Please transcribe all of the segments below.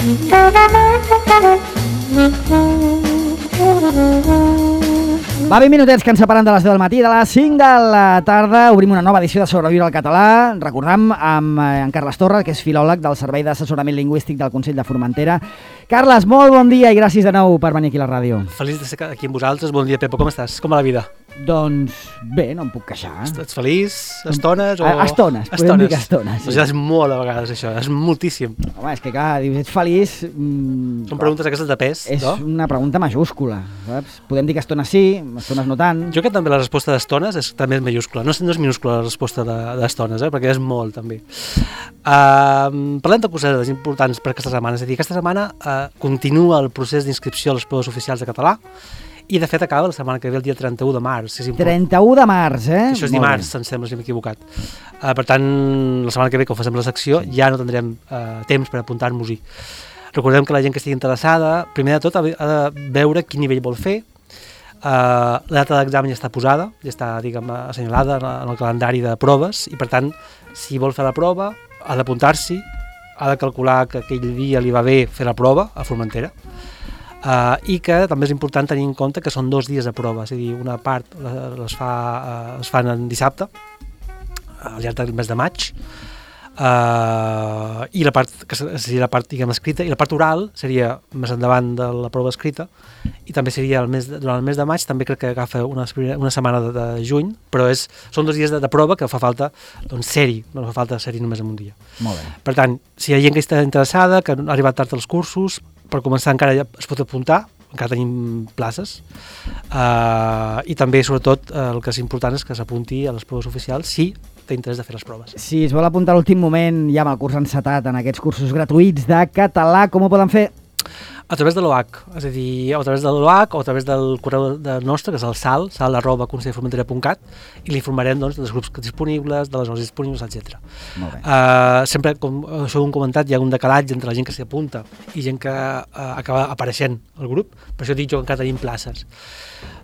Va, 20 minutets que ens separen de les 10 del matí. De les 5 de la tarda obrim una nova edició de Sobreviure al Català. Recordam amb en Carles Torra, que és filòleg del Servei d'Assessorament Lingüístic del Consell de Formentera. Carles, molt bon dia i gràcies de nou per venir aquí a la ràdio. Feliç de ser aquí amb vosaltres. Bon dia, Pepo, com estàs? Com va la vida? Doncs bé, no em puc queixar. Ets feliç? Estones? Estones, podem dir que estones. Doncs ja és molt a vegades això, és moltíssim. Home, és que clar, dius, ets feliç... Són preguntes aquestes de pes, és no? És una pregunta majúscula, saps? Podem dir que estones sí, estones no tant. Jo crec que també la resposta d'estones també és majúscula. No és minúscula la resposta d'estones, perquè és molt, també. Parlem de coses importants per aquesta setmana. És a dir, aquesta setmana continua el procés d'inscripció a les proves oficials de català i, de fet, acaba la setmana que ve, el dia 31 de març. 31 de març, eh? Això és dimarts, em sembla, si m'he equivocat. Per tant, la setmana que ve, quan facem la secció, ja no tindrem temps per apuntar-nos-hi. Recordem que la gent que estigui interessada, primer de tot, ha de veure quin nivell vol fer. La data d'examen ja està posada, ja està, diguem, assenyalada en el calendari de proves i, per tant, si vol fer la prova, ha d'apuntar-s'hi, ha de calcular que aquell dia li va bé fer la prova a Formentera. I que també és important tenir en compte que són 2 dies de prova, és a dir, una part es fan en dissabte, al llarg del mes de maig, i la part que seria la part, diguem, escrita, i la part oral seria més endavant de la prova escrita, i també seria durant el mes de maig, també crec que agafa una setmana de juny, però són 2 dies de prova que fa falta, doncs, ser-hi, no fa falta ser-hi només en un dia. Molt bé. Per tant, si hi ha gent que està interessada, que ha arribat tard als cursos, per començar encara ja es pot apuntar, encara tenim places, i també, sobretot, el que és important és que s'apunti a les proves oficials si té interès de fer les proves. Si es vol apuntar a l'últim moment, ja amb el curs encetat en aquests cursos gratuïts de català, com ho poden fer? A través de l'OAC, és a dir, a través de l'OAC o a través del correu nostre, que és el sal@consellformentera.cat, i l'informarem, doncs, dels grups disponibles, de les hores disponibles, etc. Molt bé. Sempre, com això ho hem comentat, hi ha un decalatge entre la gent que s'hi apunta i gent que acaba apareixent al grup, per això dic jo que encara tenim places.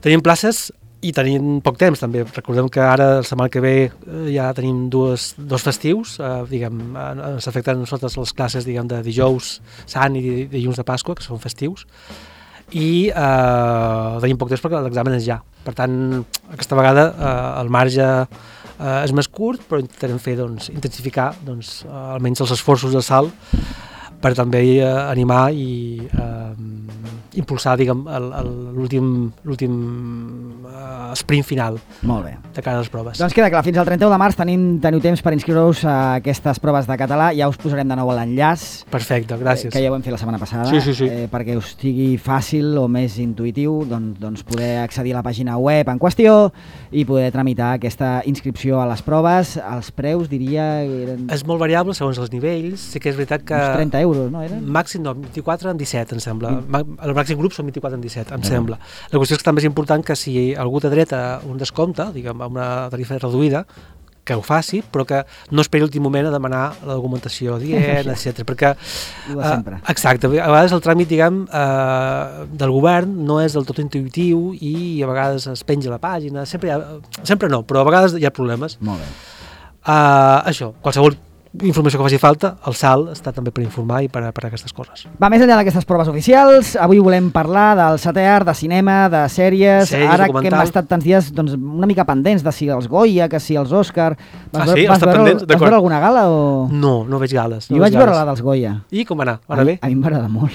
Tenim places i tenim poc temps, també. Recordem que ara, la setmana que ve, ja tenim dos festius, diguem, s'afecten a nosaltres les classes, diguem, de dijous sant i dilluns de Pasqua, que són festius, i tenim poc temps perquè l'examen és ja. Per tant, aquesta vegada el marge és més curt, però intentarem fer, doncs, intensificar, doncs, almenys els esforços de Sal per també animar i impulsar, diguem, l'últim sprint final. Molt bé. De cara a les proves. Doncs queda clar, fins al 31 de març teniu temps per inscriure-us a aquestes proves de català. Ja us posarem de nou l'enllaç. Perfecte, gràcies. Que ja ho vam fer la setmana passada. Sí. Perquè us sigui fàcil o més intuïtiu doncs poder accedir a la pàgina web en qüestió i poder tramitar aquesta inscripció a les proves. Els preus, diria... És molt variable segons els nivells. Sí que és veritat que... Uns 30 euros, no eren? Màxim, no, 24 en 17, em sembla. El màxim grup són 24 en 17, em sembla. La qüestió és que també és important que si algú té dret a un descompte, diguem, a una tarifa reduïda, que ho faci, però que no esperi l'últim moment a demanar la documentació adient, etc. Perquè... exacte. A vegades el tràmit, diguem, del govern no és del tot intuïtiu i a vegades es penja la pàgina, sempre no, però a vegades hi ha problemes. Molt bé. Això, qualsevol informació que faci falta, el SAL està també per informar i per a aquestes coses. Va, més enllà d'aquestes proves oficials, avui volem parlar del setè art, de cinema, de sèries, ara que hem estat tants dies doncs, una mica pendents de si els Goya, que si els Òscar... Vas veure alguna gala o...? No veig gales. Jo vaig veure la dels Goya. I com va anar? Va anar bé? A mi em va agradar molt.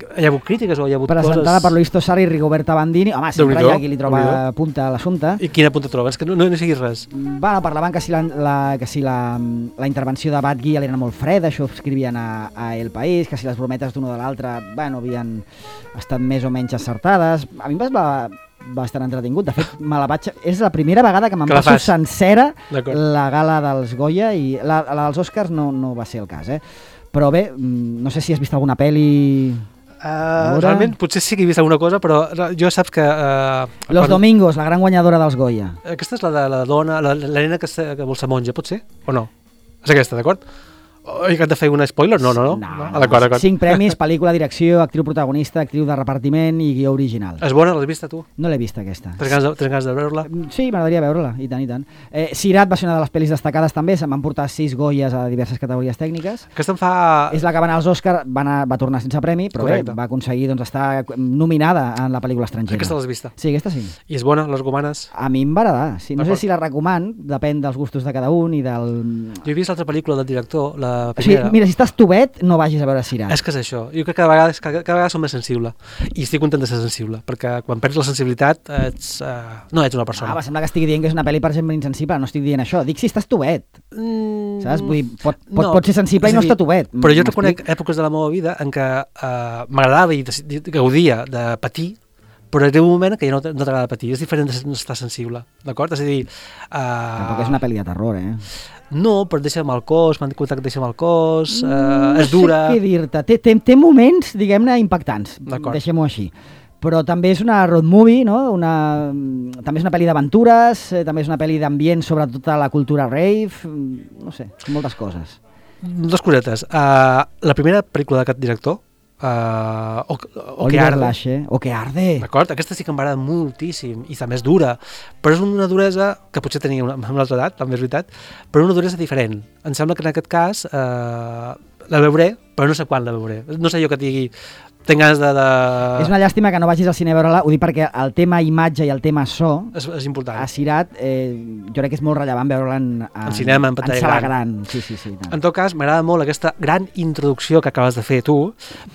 Hi ha hagut crítiques o hi ha hagut coses... Presentada per Luis Tosar i Rigoberta Bandini. Home, sempre hi ha qui li troba punta a l'assumpte. I quina punta trobes? Que no seguis res. Bueno, parlaven que si la intervenció de Batgui era molt freda, això escrivien a El País, que si les brometes d'una o de l'altra havien estat més o menys acertades. A mi em va semblar bastant entretingut. De fet, és la primera vegada que me'n passo sencera la gala dels Goya i la dels Oscars no va ser el cas, Però bé, no sé si has vist alguna pel·li... Realment, potser sí que he vist alguna cosa, però jo saps que... Los Domingos, la gran guanyadora dels Goya. Aquesta és la de la dona, la nena que vol ser monja, pot ser? O no? És aquesta, d'acord? He de fer un spoiler? No. D'acord. 5 premis, pel·lícula, direcció, actriu protagonista, actriu de repartiment i guió original. És bona? L'has vista, tu? No l'he vista, aquesta. Tens ganes de veure-la? Sí, m'agradaria veure-la, i tant. Sirat va ser una de les pel·lis destacades també, se'n van portar 6 Goyes a diverses categories tècniques. Aquesta em fa... És la que va anar als Òscar, va tornar sense premi, però Correcte. bé, va aconseguir estar nominada en la pel·lícula estrangera. Aquesta l'has vista? Sí, aquesta sí. I és bona? La recomanes? A mi em va agradar, sí. No sé si la recoman, depèn dels gustos de cada un i del... Jo he vist l'altra pel·lícula del director, la O primera. sigui, mira, si estàs tubet, no vagis a veure Sirat. És que és això. Jo crec que cada vegada som més sensible. I estic content de ser sensible, perquè quan perds la sensibilitat no ets una persona. Va, sembla que estigui dient que és una pel·li per gent insensible. No estic dient això. Dic si estàs tubet. Saps? Vull dir, pot ser sensible i no estar tubet. Però jo reconec èpoques de la meva vida en què m'agradava i gaudia de patir, però hi ha un moment que ja no t'agrada patir. És diferent d'estar sensible, d'acord? És a dir... Tampoc és una pel·li de terror, No, però et deixa mal cos, m'han contat que et deixa mal cos, és dura... No sé què dir-te. Té moments, diguem-ne, impactants. Deixem-ho així. Però també és una road movie, no? També és una pel·li d'aventures, també és una pel·li d'ambient sobre tota la cultura rave, no sé, moltes coses. 2 cosetes. La primera pel·lícula d'aquest director, o que arde. O que arde. D'acord? Aquesta sí que m'agrada moltíssim i també és dura, però és una duresa que potser tenia amb l'altra edat, també és veritat, però una duresa diferent. Em sembla que en aquest cas la veuré, però no sé quan la veuré. No sé jo que et digui tinc ganes de... És una llàstima que no vagis al cine a veure-la, ho dic perquè el tema imatge i el tema so és important. A Sirat jo crec que és molt rellevant veure-la en cinema, en pantalla sala gran. Sí. En tot cas, m'agrada molt aquesta gran introducció que acabes de fer tu,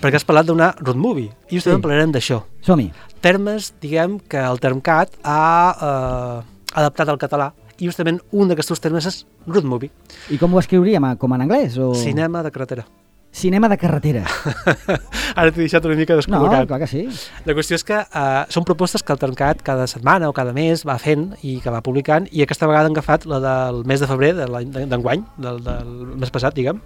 perquè has parlat d'una road movie, i justament parlarem d'això. Som-hi. Termes, diguem, que el Termcat ha adaptat al català, i justament un d'aquests termes és road movie. I com ho escriuríem? Com en anglès? Cinema de carretera. Cinema de carretera. Ara t'he deixat una mica descol·locat. No, clar que sí. La qüestió és que són propostes que el Termcat cada setmana o cada mes va fent i que va publicant, i aquesta vegada han agafat la del mes de febrer d'enguany, del mes passat, diguem,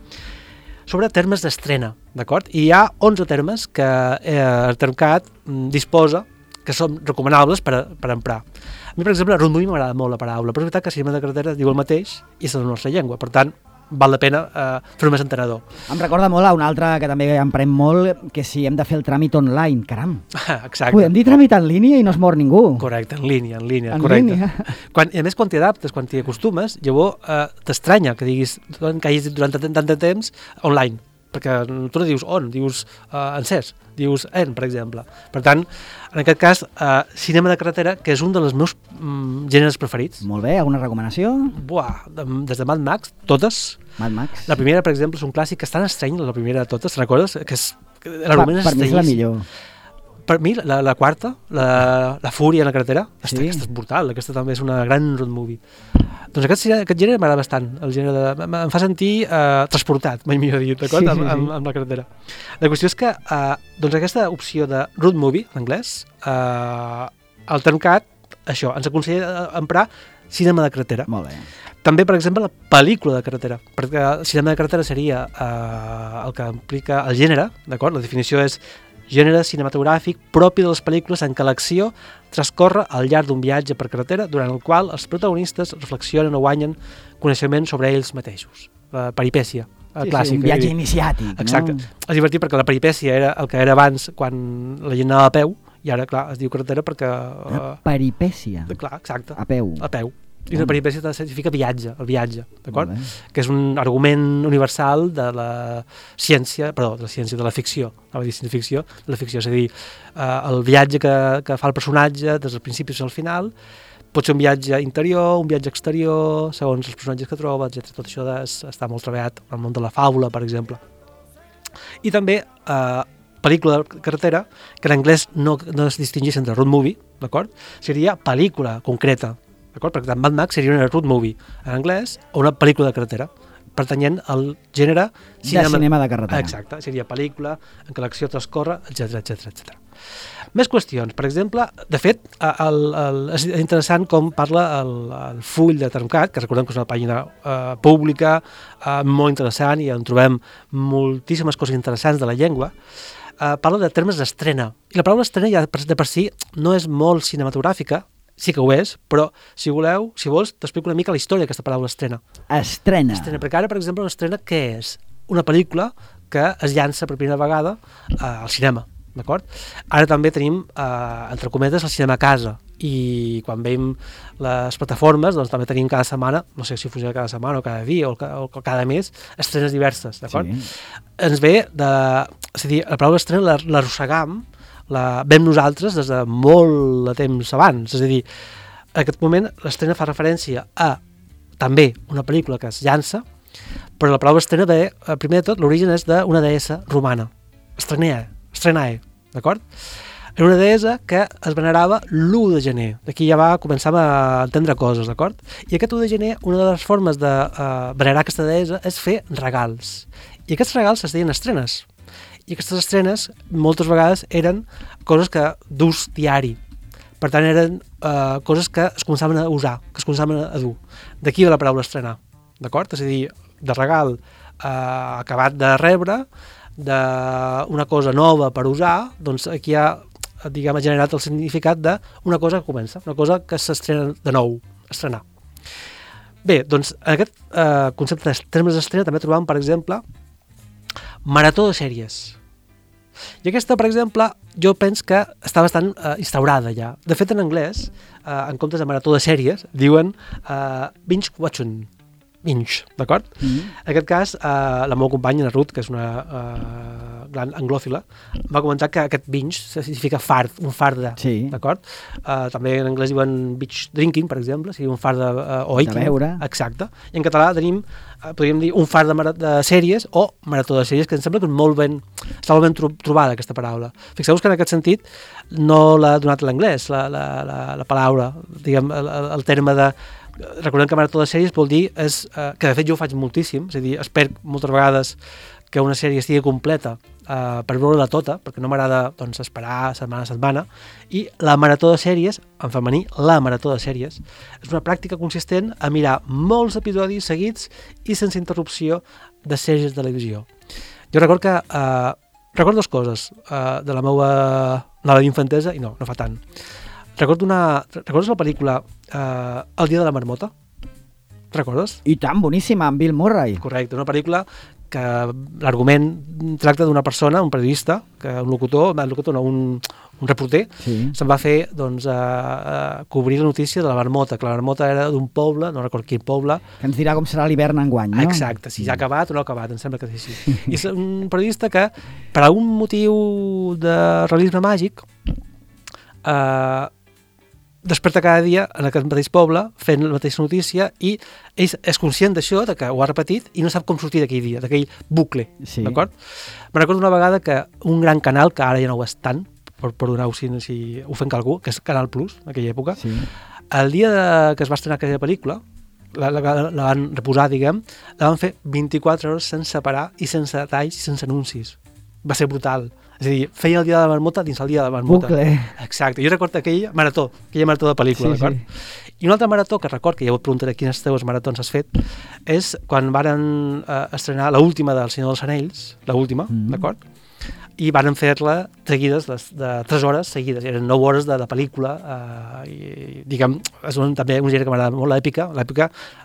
sobre termes d'estrena, d'acord? I hi ha 11 termes que el Termcat disposa que són recomanables per emprar. A mi, per exemple, road movie m'agrada molt la paraula, però és veritat que cinema de carretera diu el mateix i és la nostra llengua, per tant, val la pena fer-ho més entenedor. Em recorda molt a un altre que també emprem molt, que si hem de fer el tràmit online, caram. Exacte. Podem dir tràmit en línia i no es mor ningú. Correcte, en línia, correcte. A més, quan t'hi adaptes, quan t'hi acostumes, llavors t'estranya que diguis que hagis dit durant tant de temps online, perquè tu no dius on, dius encès, dius en, per exemple. Per tant, en aquest cas, cinema de carretera, que és un dels meus gèneres preferits. Molt bé, alguna recomanació? Des de Mad Max, totes. Mad Max. La primera, per exemple, és un clàssic que és tan estrany, la primera de totes, recordes? L'argument és per mi és la millor. Per mi, la quarta, la Fúria en la carretera, sí. Aquesta és brutal, aquesta també és una gran road movie. Doncs aquest gènere m'agrada bastant, em fa sentir transportat, mai millor dit, d'acord? Sí. Amb la carretera. La qüestió és que doncs aquesta opció de road movie, en anglès, el Termcat, això, ens aconsella emprar cinema de carretera. Molt bé. També, per exemple, la pel·lícula de carretera, perquè el cinema de carretera seria el que implica el gènere, d'acord? La definició és gènere cinematogràfic propi de les pel·lícules en què l'acció transcorre al llarg d'un viatge per carretera durant el qual els protagonistes reflexionen o guanyen coneixement sobre ells mateixos. La peripècia clàssica. Sí, un viatge iniciàtic. Exacte. No? És divertit perquè la peripècia era el que era abans quan la gent anava a peu i ara, clar, es diu carretera perquè... Peripècia. Clar, exacte. A peu. A peu. I una peripècia significa viatge, el viatge, d'acord? Que és un argument universal de la ciència, de la ficció, no vull dir ciència-ficció, de la ficció, és a dir, el viatge que fa el personatge des del principi fins al final, pot ser un viatge interior, un viatge exterior, segons els personatges que troba, etc. Tot això està molt treballat en el món de la fàbula, per exemple. I també pel·lícula de carretera, que en anglès no es distingeix entre road movie, d'acord? Seria pel·lícula concreta, d'acord? Perquè Mad Max seria una road movie en anglès o una pel·lícula de carretera, pertanyent al gènere cinema de carretera. Exacte, seria pel·lícula en què l'acció transcorre, etc. Més qüestions. Per exemple, de fet, és interessant com parla el full de Termcat, que recordem que és una pàgina pública, molt interessant, i on trobem moltíssimes coses interessants de la llengua. Parla de termes d'estrena. I la paraula estrena ja de per si no és molt cinematogràfica, sí que ho és, però si vols, t'explico una mica la història d'aquesta paraula estrena. Estrena. Perquè ara, per exemple, una estrena què és? una pel·lícula que es llança per primera vegada al cinema, d'acord? Ara també tenim, entre cometes, el cinema a casa, i quan veiem les plataformes, doncs també tenim cada setmana, no sé si funciona cada setmana o cada dia o cada mes, estrenes diverses, d'acord? Sí. Ens ve de... És a dir, la paraula estrena l'arrossegam, la vam nosaltres des de molt de temps abans, és a dir, en aquest moment l'estrena fa referència a també una pel·lícula que es llança, però la paraula estrena ve, primer de tot, l'origen és d'una deessa romana, estrenae, d'acord? Era una deessa que es venerava l'1 de gener. D'aquí ja començar a entendre coses, d'acord? I aquest 1 de gener, una de les formes de venerar aquesta deessa és fer regals. I aquests regals es deien estrenes. I aquestes estrenes moltes vegades eren coses d'ús diari. Per tant, eren coses que es començaven a usar, que es començaven a dur. D'aquí ve la paraula estrenar, d'acord? És a dir, de regal acabat de rebre, d'una cosa nova per usar, doncs aquí ha generat el significat d'una cosa que comença, una cosa que s'estrena de nou, estrenar. Bé, doncs en aquest concepte de termes d'estrena també trobam, per exemple, marató de sèries. I aquesta, per exemple, jo penso que està bastant instaurada ja. De fet, en anglès, en comptes de marató de sèries, diuen binge watching. Binge, d'acord? En aquest cas, la meva companya, la Ruth, que és una gran anglòfila, va comentar que aquest binge significa fard, un farda, d'acord? També en anglès diuen binge drinking, per exemple, sigui un farda o eating. De beure. Exacte. I en català tenim, podríem dir, un fard de sèries o marató de sèries, que em sembla que està molt ben trobada aquesta paraula. Fixeu-vos que en aquest sentit no l'ha donat l'anglès, la paraula, diguem, el terme de... Recordem que marató de sèries vol dir que de fet jo ho faig moltíssim, és a dir, espero moltes vegades que una sèrie estigui completa per veure-la tota, perquè no m'agrada doncs, esperar setmana a setmana, i la marató de sèries, en femení, la marató de sèries, és una pràctica consistent a mirar molts episodis seguits i sense interrupció de sèries de televisió. Jo recordo que recordo dues coses de la meva infantesa i no fa tant. Recordes la pel·lícula El dia de la marmota? Recordes? I tant, boníssima, amb Bill Murray. Correcte, una pel·lícula que l'argument tracta d'una persona, un periodista, un reporter, se'n va fer doncs, cobrir la notícia de la marmota, que la marmota era d'un poble, no recordo quin poble. Que ens dirà com serà l'hivern enguany, no? Exacte, si ja ha acabat o no ha acabat, em sembla que és així. I és un periodista que, per algun motiu de realisme màgic, desperta cada dia en aquest mateix poble fent la mateixa notícia i ell és conscient d'això, de que ho ha repetit i no sap com sortir d'aquell dia, d'aquell bucle, d'acord? Me'n recordo una vegada que un gran canal, que ara ja no ho és tant, per donar-ho si ho fem algú, que és Canal Plus, en aquella època, el dia que es va estrenar aquella pel·lícula, la van reposar, diguem, la van fer 24 hores sense parar i sense talls i sense anuncis. Va ser brutal. És a dir, feia el dia de la marmota dins el dia de la marmota. Bucle. Exacte. Jo recordo aquella marató de pel·lícula, d'acord? Sí. I una altra marató que record, que ja ho preguntaré quines teves maratons has fet, és quan varen estrenar l'última del Senyor dels Anells, l'última, d'acord? I varen fer-la seguides, de 3 hores seguides. Eren 9 hores de pel·lícula. I, diguem, és també un gènere que m'agrada molt, l'èpica.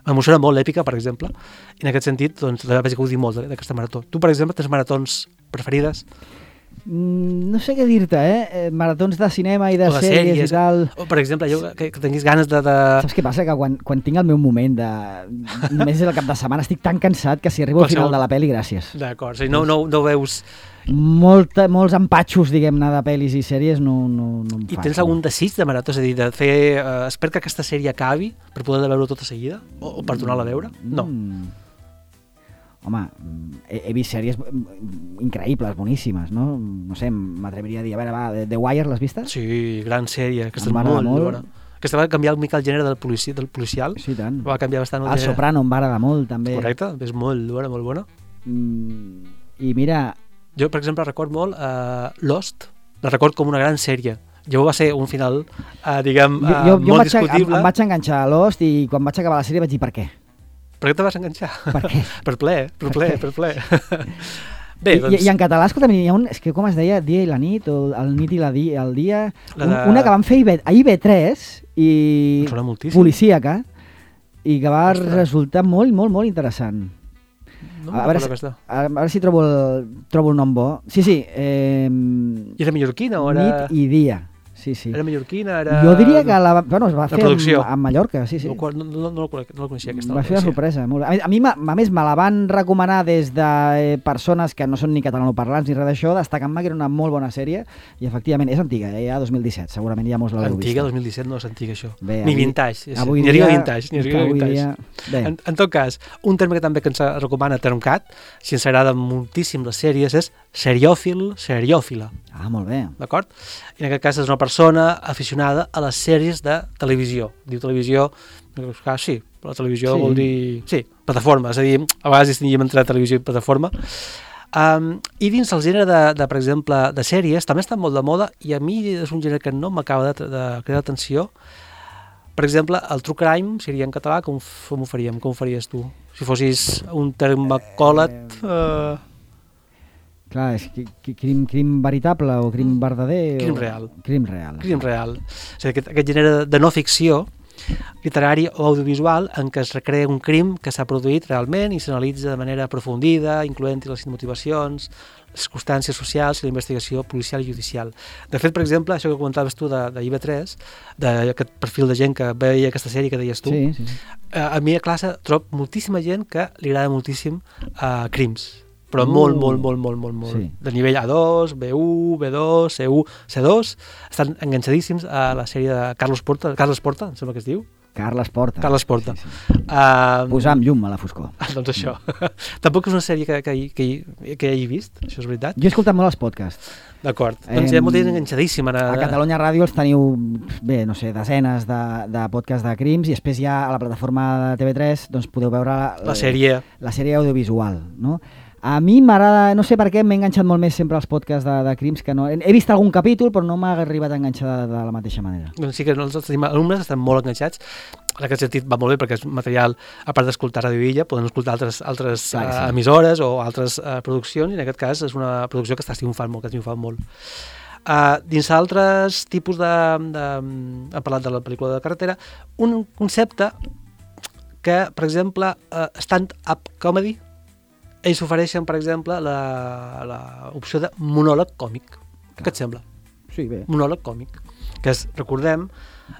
M'emociona molt l'èpica, per exemple. I en aquest sentit, doncs, vaig gaudir molt d'aquesta marató. Tu, per exemple, tens maratons preferides? No sé què dir-te, maratons de cinema i de sèries i tal. O, per exemple, que tinguis ganes de... Saps què passa? Que quan tinc el meu moment només és el cap de setmana, estic tan cansat que si arribo al final de la pel·li, gràcies. D'acord, o sigui, no veus... Molts empatxos, diguem-ne, de pel·lis i sèries no em fan. I tens algun desig de marató? És a dir, de fer... espero que aquesta sèrie acabi per poder veure-ho tota seguida? O per tornar-la a veure? No. Home, he vist sèries increïbles, boníssimes, no? No sé, m'atreviria a dir... A veure, The Wire, l'has vista? Sí, gran sèrie, aquesta és molt bona. Aquesta va canviar una mica el gènere del policial. Sí, tant. Va canviar bastant el gènere. El Soprano em va agradar molt, també. Correcte, és molt bona. I mira... Jo, per exemple, record molt Lost, la record com una gran sèrie. Jo va ser un final, diguem, molt discutible. Em vaig enganxar a Lost i quan vaig acabar la sèrie vaig dir per què. Per què te vas enganxar? Per què? Per ple. Bé, doncs... I en català, escolta, hi ha és que com es deia, Dia i la nit, o el nit i el dia... Una que van fer a IB3 i policíaca, i que va resultar molt interessant. No me'n recordo aquesta. A veure si trobo el nom bo. Sí. I era mallorquina o era... Nit i dia. Sí. Era mallorquina, era... Jo diria que es va fer a Mallorca, sí. No la coneixia, aquesta. Va ser una sorpresa. Molt bé. A mi, a més, me la van recomanar des de persones que no són ni catalanoparlants ni res d'això, destacant-me que era una molt bona sèrie, i efectivament és antiga, ja 2017, segurament ja mos l'heu vist. Antiga, 2017 no és antiga, això. Bé, ni vintage. Avui ni dia... vintage. En tot cas, un terme que també que ens recomana Termcat, si ens agraden moltíssim les sèries, és seriòfila. Ah, molt bé. D'acord? I en aquest cas és una persona aficionada a les sèries de televisió. Diu televisió, sí, però la televisió vol dir... Sí, plataforma, és a dir, a vegades distingim entre televisió i plataforma. I dins el gènere per exemple, de sèries, també està molt de moda i a mi és un gènere que no m'acaba de cridar atenció. Per exemple, el true crime seria en català, com ho faríem? Com ho faries tu? Si fossis un termacòlet... Clar, és crim veritable o crim verdader? Crim real. Crim real. Crim real. És a dir, aquest gènere de no ficció literari o audiovisual en què es recrea un crim que s'ha produït realment i s'analitza de manera aprofundida, incloent-hi les motivacions, les circumstàncies socials i la investigació policial i judicial. De fet, per exemple, això que comentaves tu de IB3, d'aquest perfil de gent que veia aquesta sèrie que deies tu, sí. A mi a classe trobo moltíssima gent que li agrada moltíssim crims, però molt. Sí. De nivell A2, B1, B2, C1, C2, estan enganxadíssims a la sèrie de Carles Porta, em sembla que es diu. Carles Porta. Sí. Posar amb llum a la foscor. Doncs això. Tampoc és una sèrie que hagi vist, això és veritat. Jo he escoltat molt els podcasts. D'acord. Doncs hi ha molta gent enganxadíssima. A Catalunya Ràdio els teniu, desenes de podcasts de crims i després ja a la plataforma de TV3 doncs podeu veure la sèrie audiovisual, no? A mi m'agrada, no sé per què, m'he enganxat molt més sempre als podcasts de crims que no... He vist algun capítol, però no m'ha arribat a enganxar de la mateixa manera. Doncs sí que nosaltres tenim alumnes que estan molt enganxats. En aquest sentit va molt bé perquè és material, a part d'escoltar Ràdio Illa, poden escoltar altres emissores o altres produccions, i en aquest cas és una producció que està triomfant molt, dins altres tipus hem parlat de la pel·lícula de carretera, un concepte que, per exemple, stand-up comedy, ells ofereixen, per exemple, l'opció de monòleg còmic. Què et sembla? Sí, bé. Monòleg còmic, que és, recordem,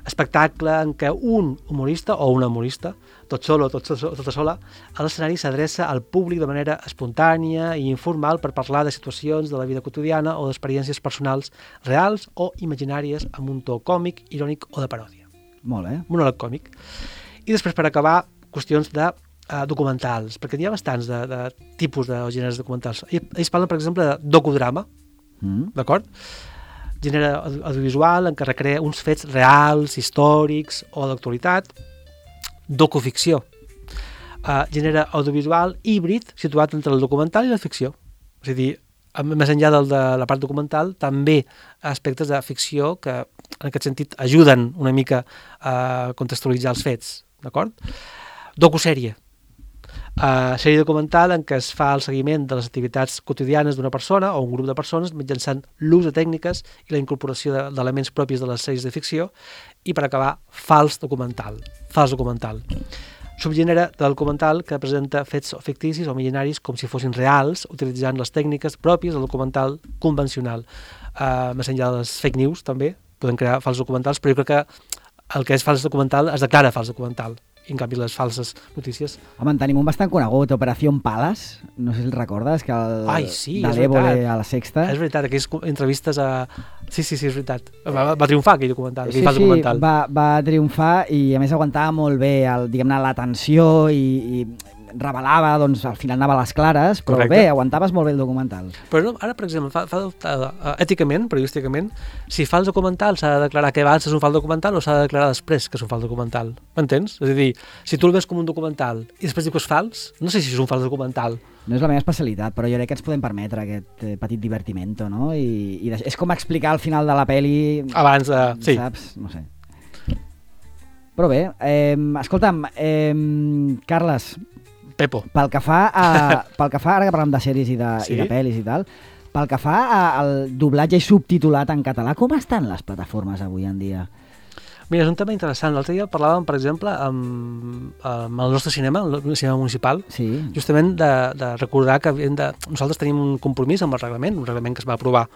espectacle en què un humorista o una humorista, tot sol o tota sola, a l'escenari s'adreça al públic de manera espontània i informal per parlar de situacions de la vida quotidiana o d'experiències personals reals o imaginàries amb un to còmic, irònic o de paròdia. Molt bé. Monòleg còmic. I després, per acabar, qüestions de documentals, perquè hi ha bastants de tipus de gèneres documentals. Ells parlen, per exemple, de docudrama, d'acord? Gènere audiovisual en què recrea uns fets reals, històrics o d'actualitat. Docuficció, gènere audiovisual híbrid situat entre el documental i la ficció. És a dir, més enllà de la part documental, també aspectes de ficció que, en aquest sentit, ajuden una mica a contextualitzar els fets, d'acord? Docusèrie, sèrie documental en què es fa el seguiment de les activitats quotidianes d'una persona o un grup de persones mitjançant l'ús de tècniques i la incorporació d'elements propis de les sèries de ficció. I per acabar, fals documental. Subgènere del documental que presenta fets ficticis o imaginaris com si fossin reals, utilitzant les tècniques pròpies del documental convencional. Més enllà de les fake news també poden crear fals documentals, però jo crec que el que és fals documental es declara fals documental. I en canvi les falses notícies... Home, en tenim un bastant conegut, Operació Palas, no sé si el recordes, que de l'Évole a la Sexta. És veritat, aquelles entrevistes a... Sí, és veritat. Va triomfar aquell documental, aquell fals documental. Va triomfar i a més aguantava molt bé la tensió i revelava, doncs al final anava a les clares, però correcte. Bé, aguantaves molt bé el documental. Però no, ara, per exemple, fa èticament, periodísticament, si fa el documental s'ha de declarar que abans és un fals documental o s'ha de declarar després que és un fals documental. M'entens? És a dir, si tu el ves com un documental i després dius que és fals, no sé si és un fals documental. No és la meva especialitat, però jo crec que ens podem permetre aquest petit divertimento, no? I és com explicar al final de la peli... Abans de... Sí. Saps? No sé. Però bé, escolta'm, Carles... Pepo. Pel que fa, ara que parlem de sèries i de pel·lis i tal, pel que fa al doblatge i subtitulat en català, com estan les plataformes avui en dia? Mira, és un tema interessant. L'altre dia parlàvem, per exemple, amb el nostre cinema, el cinema municipal, Sí. justament de recordar que nosaltres tenim un compromís amb el reglament, un reglament que es va aprovar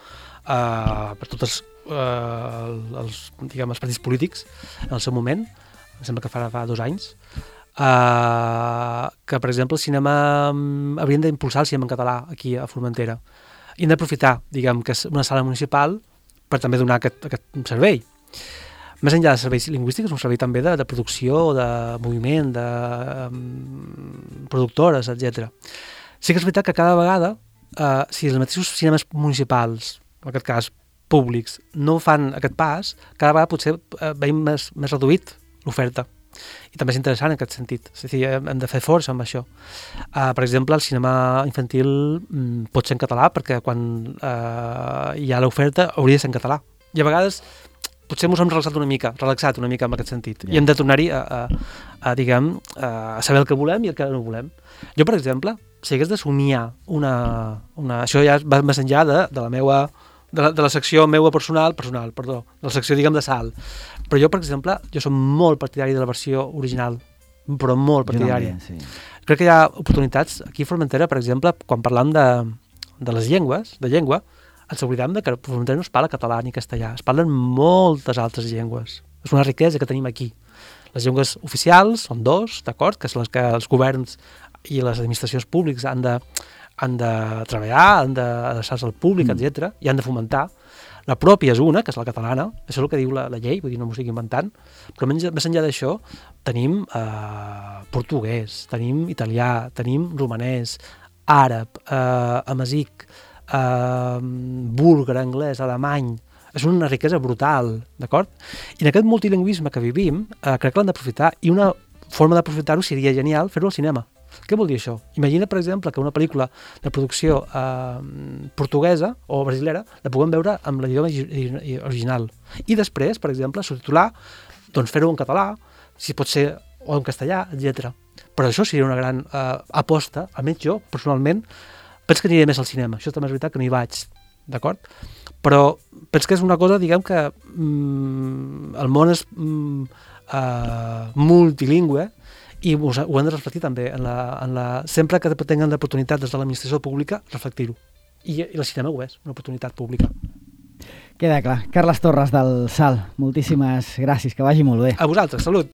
per tots els partits polítics en el seu moment, em sembla que fa 2 anys, que, per exemple, el cinema haurien d'impulsar el cinema en català aquí a Formentera. I hem d'aprofitar, diguem, que és una sala municipal per també donar aquest servei. Més enllà de serveis lingüístics, un servei també de producció, de moviment, de productores, etc. Sí que és veritat que cada vegada, si els mateixos cinemes municipals, en aquest cas públics, no fan aquest pas, cada vegada potser veiem més reduït l'oferta. I també és interessant en aquest sentit. És a dir, hem de fer força amb això. Per exemple, el cinema infantil pot ser en català perquè quan hi ha l'oferta hauria de ser en català. I a vegades potser ens hem relaxat una mica en aquest sentit. I hem de tornar-hi a saber el que volem i el que no volem. Jo, per exemple, si hagués de somiar això ja va més enllà de la secció meua personal, de la secció, diguem, de sal. Però jo, per exemple, som molt partidari de la versió original, però molt partidari. Sí. Crec que hi ha oportunitats. Aquí a Formentera, per exemple, quan parlam de les llengües, de llengua, ens oblidem que a Formentera no es parla català ni castellà, es parlen moltes altres llengües. És una riquesa que tenim aquí. Les llengües oficials són 2, d'acord, que són les que els governs i les administracions públiques han de treballar, han d'adreçar-se al públic, etc. i han de fomentar. La pròpia és una, que és la catalana, això és el que diu la llei, vull dir, no m'ho estic inventant, però més enllà d'això tenim portuguès, tenim italià, tenim romanès, àrab, amazic, búlgar, anglès, alemany. És una riquesa brutal, d'acord? I en aquest multilingüisme que vivim, crec que l'hem d'aprofitar, i una forma d'aprofitar-ho seria genial fer-ho al cinema. Què vol dir això? Imagina, per exemple, que una pel·lícula de producció portuguesa o brasilera la puguem veure amb l'idioma original. I després, per exemple, subtitular, doncs fer-ho en català, si pot ser, o en castellà, etc. Però això seria una gran aposta, almenys jo, personalment, penso que aniré més al cinema. Això també és veritat que no hi vaig, d'acord? Però penso que és una cosa, diguem, que el món és multilingüe i ho hem de reflectir també sempre que tinguem l'oportunitat des de l'administració pública, reflectir-ho. I el cinema ho és, una oportunitat pública. Queda clar. Carles Torres del SAL, moltíssimes gràcies, que vagi molt bé. A vosaltres, salut!